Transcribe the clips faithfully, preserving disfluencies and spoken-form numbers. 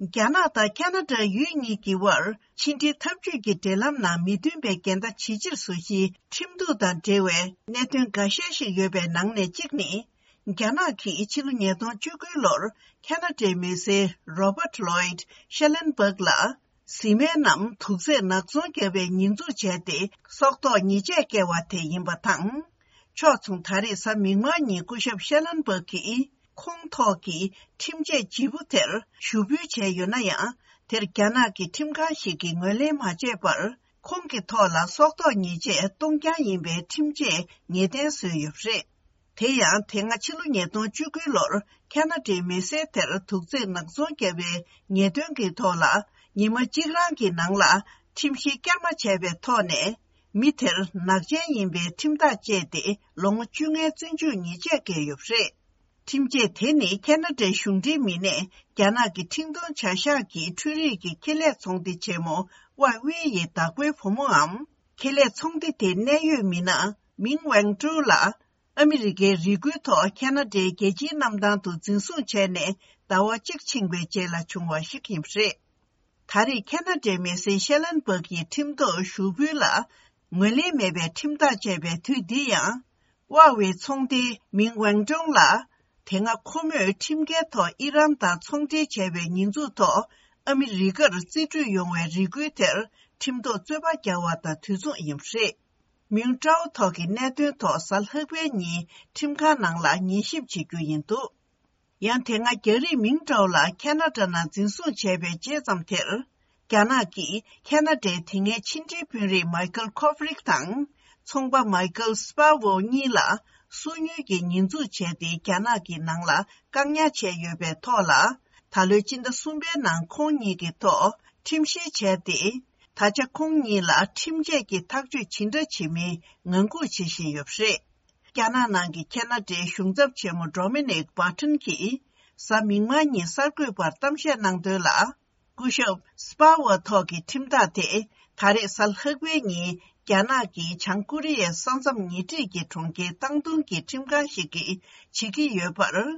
རྒྱ་ནག་དང་ཁ་ན་ཌ་ཡུལ་གཉིས་ཀྱི་དབར་ཕྱི་འབྲེལ་འཐབ་ཇུས་ཀྱི་འབྲེལ་ལམ་ནང་མི་མཐུན་པའི་འགལ་ཟླ་ཇི་ཆེར་བཟོ་གཞིའི་ཁྲིམས་གཏུག་དང་འབྲེལ་བའི་གནད་དོན་འགའ་ཤས་ཤིག་ཡོད་པའི་ནང་ནས་གཅིག་ནི། རྒྱ་ནག་གིས་ཕྱི་ལོ་ཉིས་སྟོང་བཅུ་དགུ་ལོར་ཁ་ན་ཌའི་མི་སེར་Robert Lloyd Schellenberg ལ་བཟི་སྨན་ནམ་དུག་རྫས་ནག་ཚོང་བརྒྱབ་པའི་ཉེས་འཛུགས་བྱས་ཏེ་སྲོག་ཐོག་ཉེས་ཆད་བཀལ་བ་དེ་ཡིན་པ་དང་། ཕྱོགས་མཚུངས། ད་རེས་གཟའ་མིག་དམར་ཉིན་སྐུ་ཞབས་ཤེ་ལན་སྦག་གིས་ཁོང་ཐོག་གི་ཁྲིམས་ཆད་ལྗིད་པོ་དེར་ཞུ་འབུལ་བྱས་ཡོད་ན་ཡང་། དེར་རྒྱ་ནག་གི་ཁྲིམས་ཁང་ཞིག་གིས་ངོས་ལེན་མ་བྱས་པར། ཁོང་གི་ཐོག་ལ་སྲོག་ཐོག་ཉེས་ཆད་གཏོང་རྐྱང་ཡིན་པའི་ཁྲིམས་ཆད་ངེས་གཏན་བཟོས་ཡོད་པ་རེད། དེ་ཡང་། དེ་སྔ་ཕྱི་ལོ་ཉིས་སྟོང་བཅུ་དགུ་ལོར་ཁ་ན་ཌའི་མི་སེར་དེར་དུག་རྫས་ནག་ཚོང་བརྒྱབ་པའི་ཉེས་དོན་གྱི་ཐོག་ལ། ཉི་མ་གཅིག་རང་གི་ནང་ལ་ཁྲིམས་གཞི་བསྐྱར་མ་བྱས་པའི་ཐོག་ནས། མི་དེར་ནག་ཅན་ཡིན་པའི་ཁྲིམས་ཐག་བཅད་དེ་ལོ་ངོ་བཅོ་ལྔའི་བཙོན་འཇུག་ཉེས་ཆད་བཀལ་ཡོད་པ་རེད། ཁྲིམས་ཆད་དེ་ནི་ཁ་ན་ཌའི་གཞུང་འབྲེལ་མི་སྣས་རྒྱ་ནག་གི་འཕྲིན་གཏོང་བྱ་གཞག་གི་འཕྲུལ་རིག་གི་ཁེ་ལས་ཚོང་སྡེ་ཆེན་མོ་Huawei ཡི་བདག་པོའི་བུ་མོའམ། ཁེ་ལས་ཚོང་སྡེ་དེའི་གནད་ཡོད་མི་སྣ་Ming Wanzhou ལ། ཨ་མི་རི་ཀའི་རེ་སྐུལ་ཐོག་ཁ་ན་ཌའི་རྒྱལ་སྤྱིའི་གནམ་ཐང་དུ་འཛིན་བཟུང་བྱས་ནས་ཟླ་བ་གཅིག་ཕྱིན་པའི་རྗེས་ལ་བྱུང་བ་ཞིག་ཡིན་པ་རེད། ད་རེས་ཁ་ན་ཌའི་མི་སེར་ཤེ་ལན་སྦག་གི་ཁྲིམས་ཐོག་ཞུ་འབུལ་ལ་ངོས་ལེན་མེད་པའི་ཁྲིམས་ཐག་བཅད་པའི་དུས་འདི་ཡང་། Huawei ཚོང་སྡེའི་Ming Wanzhou ལ། དེ་སྔ་ཁོ་མོས་ཁྲིམས་འགལ་ཐོག་ཨི་རན་དང་ཚོང་འབྲེལ་བྱས་པའི་ཉེས་འཛུགས་ཐོག་ཨ་མི་རི་ཀར་རྩིས་སྤྲོད་ཡོང་བའི་རེ་སྐུལ་དེར་ཁྲིམས་ཐོག་རྩོད་པ་རྒྱག་པ་དང་དུས་མཚུངས་ཡིན་པ་རེད། མིང་ཀྲའོ་ཐོག་གི་གནད་དོན་ཐོག་གཟའ་ལྷག་པའི་ཉིན་ཁྲིམས་ཁང་ནང་ལ་ཉན་ཞིབ་བྱེད་རྒྱུ་ཡིན་འདུག་ཡང་དེ་སྔ་རྒྱ་རིགས་མིང་ཀྲའོ་ལགས་ཁ་ན་ཌ་ནང་འཛིན་བཟུང་བྱས་པའི་རྗེས་ཙམ་དེར། རྒྱ་ནག་གིས་ཁ་ན་ཌའི་དེ་སྔའི་ཕྱི་འབྲེལ་དཔོན་རིགས་མའི་ཁལ་ཁོ་ཕི་རིག་དང་། ཚོང་པ་མའི་ཁལ་སི་པ་ཝོ་གཉིས་ལ་སོ་ཉུལ་གྱི་ཉེས་འཛུགས་བྱས་ཏེ་རྒྱ་ནག་གི་ནང་ལ་བཀག་ཉར་བྱས་ཡོད་པའི་ཐོག་ལ། ད་ལོའི་སྤྱི་ཟླ་གསུམ་པའི་ནང་ཁོང་གཉིས་ཀྱི་ཐོག་ཁྲིམས་བཤེར་བྱས་ཏེ། ད་ཆ་ཁོང་གཉིས་ལ་ཁྲིམས་ཆད་ཀྱི་ཐག་གཅོད་ཇི་འདྲ་བྱེད་མིན་ངང་སྒུག་བྱེད་བཞིན་ཡོད་པ་རེད། རྒྱ་ནག་ནང་གི་ཁ་ན་ཌའི་གཞུང་ཚབ་ཆེན་མོ་ཌོ་མི་ནིག་བྷར་ཊོན་གྱིས་གཟའ་མིག་དམར་ཉིན་གསར་འགོད་པར་གཏམ་བཤད་གནང་དོན་ལ། སྐུ་ཞབས་སི་པ་ཝར་ཐོག་གི་ཁྲིམས་ཐག་དེ་ད་རེས་གཟའ་ལྷག་པའི་ཉིན་རྒྱ་ནག་གི་བྱང་ཀོ་རི་ཡའི་ས་མཚམས་ཉེ་འཁྲིས་ཀྱི་གྲོང་ཁྱེར་ཏང་ཏུང་གི་ཁྲིམས་ཁང་ཞིག་གིས་བྱེད་ཀྱི་ཡོད་པར།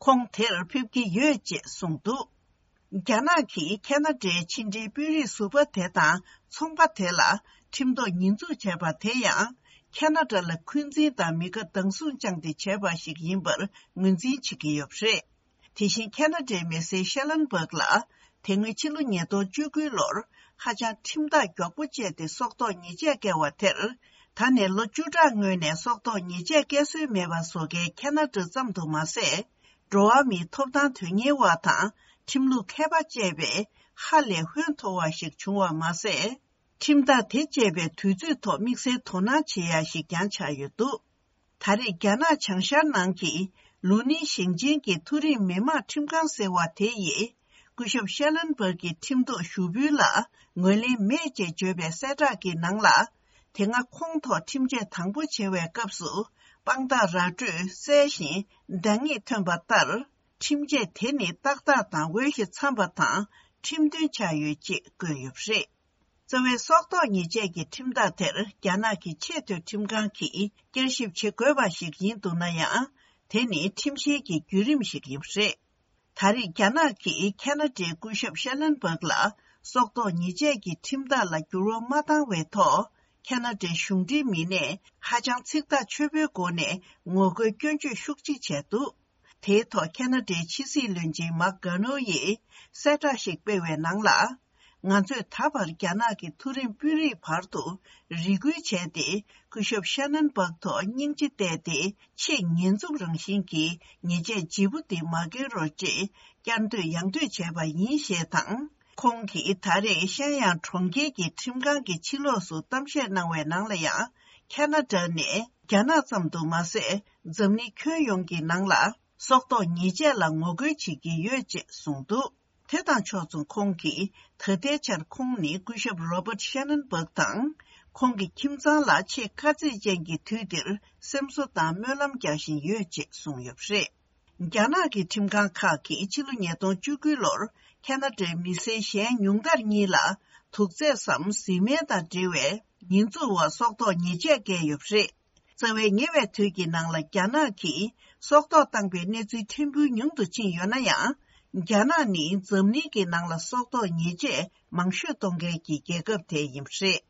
ཁོང་དེར་ཕེབས་ཀྱི་ཡོད་ཅེས་གསུངས་འདུག་རྒྱ་ནག་གིས་ཁ་ན་ཌའི་ཕྱི་འབྲེལ་དཔོན་རིགས་ཟུར་པ་དེ་དང་ཚོང་པ་དེ་ལ་ཁྲིམས་ཐོག་ཉེས་འཛུགས་བྱས་པ་དེ་ཡང་། ཁ་ན་ཌ་ལ་འཁོན་འཛིན་དང་མི་དགའ་སྡང་ཟུག་བཅངས་ཏེ་བྱས་པ་ཞིག་ཡིན་པར་ངོས་འཛིན་བྱེད་ཀྱི་ཡོད་པ་རེད། དེ་བཞིན་ཁ་ན་ཌའི་མི་སེར་ཤེ་ལན་སྦག་ལ། དེ་སྔོན་ཕྱི་ལོ་ཉིས་སྟོང་བཅུ་དགུ་ལོར་ཧ་ཅང་ཁྲིམས་ཐག་མགྱོགས་པོ་བཅད་དེ་སྲོག་ཐོག་ཉེས་ཆད་བཀལ་བ་དེར། ད་ནས་ལོ་བཅུ་ཕྲག་སྔོན་ནས་སྲོག་ཐོག་ཉེས་ཆད་བཀལ་སྲོལ་མེད་པ་བཟོ་མཁན་ཁ་ན་ཌ་ཙམ་དུ་མ་ཟད། འགྲོ་བ་མིའི་ཐོབ་ཐང་དོན་གཉེར་བ་དང་ཁྲིམས་ལུགས་མཁས་པ་བཅས་པའི་ཧ་ལས་ཧོན་མཐོ་བ་ཞིག་བྱུང་བ་མ་ཟད། ཁྲིམས་ཐག་དེ་བཅད་པའི་དུས་ཚོད་ཐོག་དམིགས་བསལ་དོ་སྣང་བྱེད་ཡ་ཞིག་ཀྱང་ཆགས་ཡོད་འདུག་ད་རེས་རྒྱ་ནག་བྱང་ཤར་ནང་གི་ལུའུ་ནིང་ཞིང་ཆེན་གྱི་མཐོ་རིམ་མི་དམངས་ཁྲིམས་ཁང་ཟེར་བ་དེ་ཡིས། སྐུ་ཞབས་ཤེ་ལན་སྦག་གི་ཁྲིམས་ཐོག་ཞུ་འབུལ་ལ་ངོས་ལེན་མེད་ཅེས་བརྗོད་པའི་གསལ་བསྒྲགས་ཀྱི་ནང་ལ། དེ་སྔ་ཁོང་ཐོག་ཁྲིམས་ཆད་དང་པོ་བྱེད་པའི་སྐབས་སུ། དཔང་རྟགས་ར་སྤྲོད་གསལ་ཞིང་འདང་ངེས་ཐོན་པ་ལྟར། ཁྲིམས་ཆད་དེ་ནི་ཏག་ཏག་དང་འོས་ཤིང་འཚམ་པ་དང་ཁྲིམས་མཐུན་ཆགས་ཡོད་ཅེས་བཀོད་ཡོད་པ་རེད། རྩ་བའི་སྲོག་ཐོག་ཉེས་ཆད་ཀྱི་ཁྲིམས་ཐག་དེར་རྒྱ་ནག་གི་ཆེས་མཐོའི་ཁྲིམས་ཁང་གིས་བསྐྱར་ཞིབ་བྱེད་དགོས་པ་ཞིག་ཡིན་འདུག་ན་ཡང་། དེ་ནི་ཁྲིམས་བཤེར་གྱི་བརྒྱུད་རིམ་ཞིག་ཡིན་པ་རེད། ད་རེས་རྒྱ་ནག་གིས་ཁ་ན་ཌའི་སྐུ་ཞབས་ཤེ་ལན་སྦག་ལ་སྲོག་ཐོག་ཉེས་ཆད་ཀྱི་ཁྲིམས་ཐག་ལ་འགྱུར་བ་མ་བཏང་བའི་ཐོག་ཁ་ན་ཌའི་གཞུང་འབྲེལ་མི་སྣས་ཧ་ཅང་ཚིག་ཐག་ཆོད་པོའི་སྒོ་ནས་ངོ་རྒོལ་སྐྱོན་བརྗོད་ཤུགས་ཆེ་བྱས་འདུག་དེའི་ཐོག་ཁ་ན་ཌའི་ཕྱི་སྲིད་བློན་ཆེན་མཱག་གྷ་ནོ་ཡིས་གསལ་བསྒྲགས་ཤིག་སྤེལ་བའི་ནང་ལ། ང་ཚོས་ད་བར་རྒྱ་ནག་གི་མཐོ་རིམ་དཔོན་རིགས་བར་དུ་རེ་སྐུལ་བྱས་ཏེ། སྐུ་ཞབས་ཤེ་ལན་སྦག་ཐོག་སྙིང་རྗེ་གཏད་དེ། ཆེས་ཉེས་འཛུགས་རང་བཞིན་གྱི་ཉེས་ཆད་ལྗིད་པོ་འདི་མ་འགེལ་རོགས་ཅེས་བསྐྱར་ཟློས་ཡང་ཟློས་བྱས་པ་ཡིན་ཞེས་དང་། ཁོང་གིས་ད་རེས་ཤན་ཡང་གྲོང་ཁྱེར་གྱི་ཁྲིམས་ཁང་གི་ཕྱི་ལོགས་སུ་གཏམ་བཤད་གནང་བའི་ནང་ལ་ཡང་། ཁ་ན་ཌ་ནས་རྒྱ་ནག་ཙམ་དུ་མ་ཟད། འཛམ་གླིང་ཁྱོན་ཡོངས་ཀྱི་ནང་ལ་སྲོག་ཐོག་ཉེས་ཆད་ལ་ངོ་རྒོལ་བྱེད་ཀྱི་ཡོད་ཅེས་གསུངས་འདུག་དེ་དང་ཕྱོགས་མཚུངས། ཁོང་གིས་ད་ལྟའི་ཆར་ཁོང་ནི་སྐུ་ཞབས་Robert Schellenberg དང་ཁོང་གི་ཁྱིམ་ཚང་ལ་ཆེས་དཀའ་ཚེགས་ཅན་གྱི་དུས་འདིར་སེམས་གསོ་དང་སྨོན་ལམ་རྒྱག་བཞིན་ཡོད་ཅེས་གསུངས་ཡོད་པ་རེད། རྒྱ་ནག་གི་ཁྲིམས་ཁང་ཁག་གིས་ཕྱི་ལོ་ཉིས་སྟོང་བཅུ་དགུ་ལོར་ཁ་ན་ཌའི་མི་སེར་གཞན་ཉུང་མཐར་གཉིས་ལ་དུག་རྫས་སམ་བཟི་སྨན་དང་འབྲེལ་བའི་ཉེས་འཛུགས་འོག་སྲོག་ཐོག་ཉེས་ཆད་བཀལ་ཡོད་པ་རེད། རྩ་བའི་ཉེ་བའི་དུས་ཀྱི་ནང་ལ་རྒྱ་ནག་གིས་སྲོག་ཐོག་བཏང་པའི་གནས་ཚུལ་ཕྲན་བུ་ཉུང་དུ་ཕྱིན་ཡོད་ན་ཡང་། རྒྱ་ནག་ནི་འཛམ་གླིང་གི་ནང་ལ་སྲོག་ཐོག་ཉེས་ཆད་མང་ཤོས་གཏོང་མཁན་གྱི་རྒྱལ་ཁབ་དེ་ཡིན་པ་རེད།